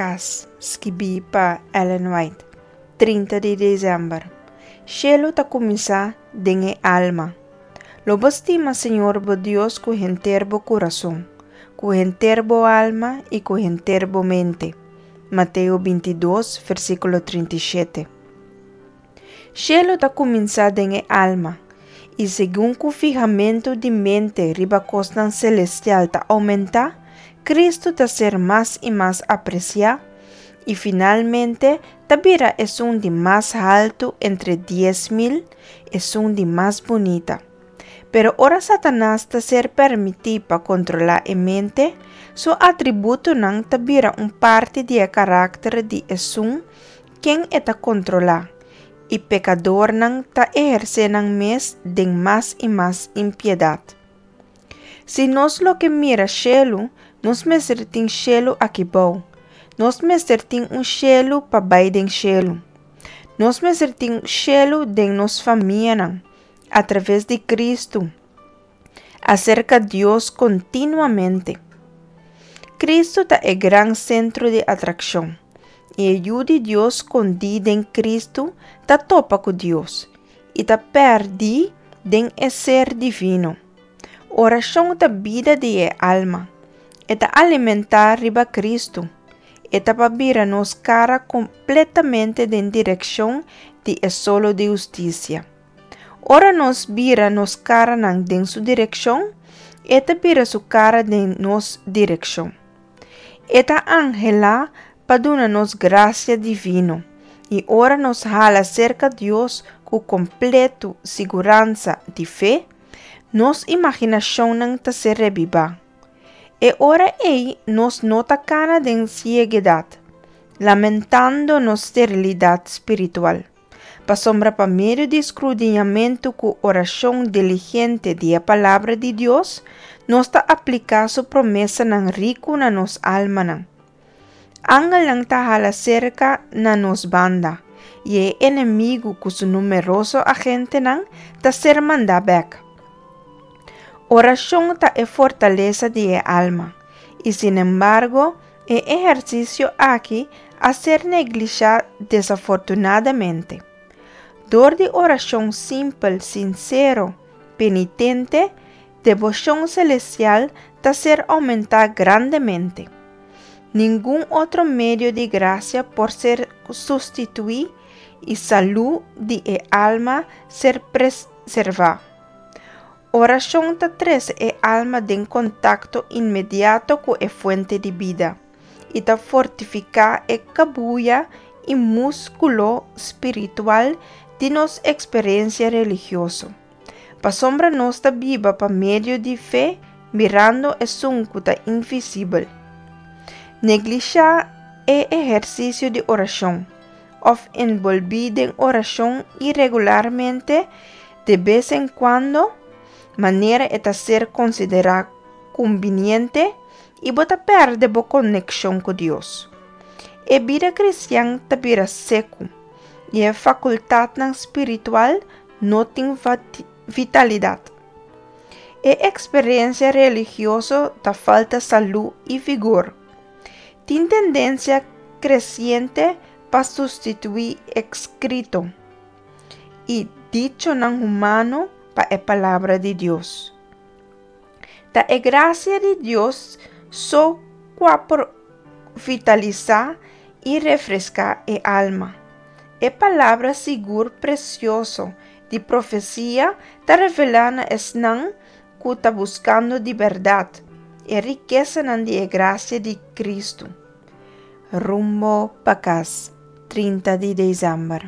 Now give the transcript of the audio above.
Kas, skibí pa Ellen White, 30 di desèmber. Shelu ta kuminsá den e alma. Lo bo stima Señor bo Dios ku henter bo kurason, ku henter bo alma i ku henter bo mente. Mateo 22, versíkulo 37. Shelu ta kuminsá den e alma, i segun ku fihamentu di mente riba kosnan selestial ta oumentá, Kristu ta ser mas i mas apresiá i finalmente ta bira esun di mas haltu entre 10,000, esun di mas bunita. Pero ora Satanas ta ser permití pa kontrolá e mente, su atributonan ta bira un parti di e karakter di esun ken e ta kontrolá, i pekadornan ta ehersé nan mes den mas i mas impiedat. Si nos lo ke mira shelu, nos mester tin shelu aki bou. Nos mester tin un shelu pa bai den shelu. Nos mester tin shelu den nos famianan, atraves di Kristu, aserka Dios kontinuamente. Kristu ta e gran sentro di atrakshon, i e Yu di Dios skondí den Kristu ta topa ku Dios i ta pèrdí den e ser divino. Orashon ta bida di e alma. E ta alimentá riba Kristu. E ta pa bira nos kara kompletamente den direkshon di e solo di hustisia. Ora nos bira nos karanan den su direkshon, e ta bira su kara den nos direkshon. E ta anhelá pa duna nos grasia divino, i ora nos hala serka Dios ku kompletu siguransa di fe, nos imaginashonnan ta ser rebibá. E ora ei nos no ta kana den sieguedat, lamentando nos sterilidat spiritual, pasobra pa medio di skrudiñamentu ku orashon diligente di e Palabra di Dios, nos ta apliká su promesanan riku na nos almanan. Angelnan ta hala serka na nos banda, i e enemigu ku su numeroso agentenan ta ser mandá bèk. Orashon ta e fortalesa di e alma, i sinembargo e ehersisio aki a ser neglishá desafortunadamente. Dor di orashon simpel, sinsero, penitente, deboshon selestial ta ser oumentá grandemente. Ningun otro medio di grasia por ser sustituí i salú di e alma ser preservá. Orashon ta trese e alma den kontakto inmediato ku e fuente di bida i ta fortifiká e kabuya i múskulo spiritual di nos eksperensia religioso. Pasobra nos ta biba pa medio di fe mirando esun ku ta invisibel. Neglishá e ehersisio di orashon, òf enbolbí den orashon iregularmente de bes en kuando, manera e ta ser konsiderá kumbiniente, i bo ta pèrdè bo konekshon ku Dios. E bida kristian ta bira seku, i e fakultatnan spiritual no tin vitalidat. E eksperensia religioso ta falta salú i vigor. Tin tendensia kresiente pa sustituí eskrito i dichonan humano pa e Palabra di Dios. Ta e grasia di Dios so kua por vitalisá i refreská e alma. E palabra sigur presioso di profesia ta revelá na esnan ku ta buskando di bèrdat e rikesanan di e grasia di Kristu. Rumbo pa kas, 30 di desèmber.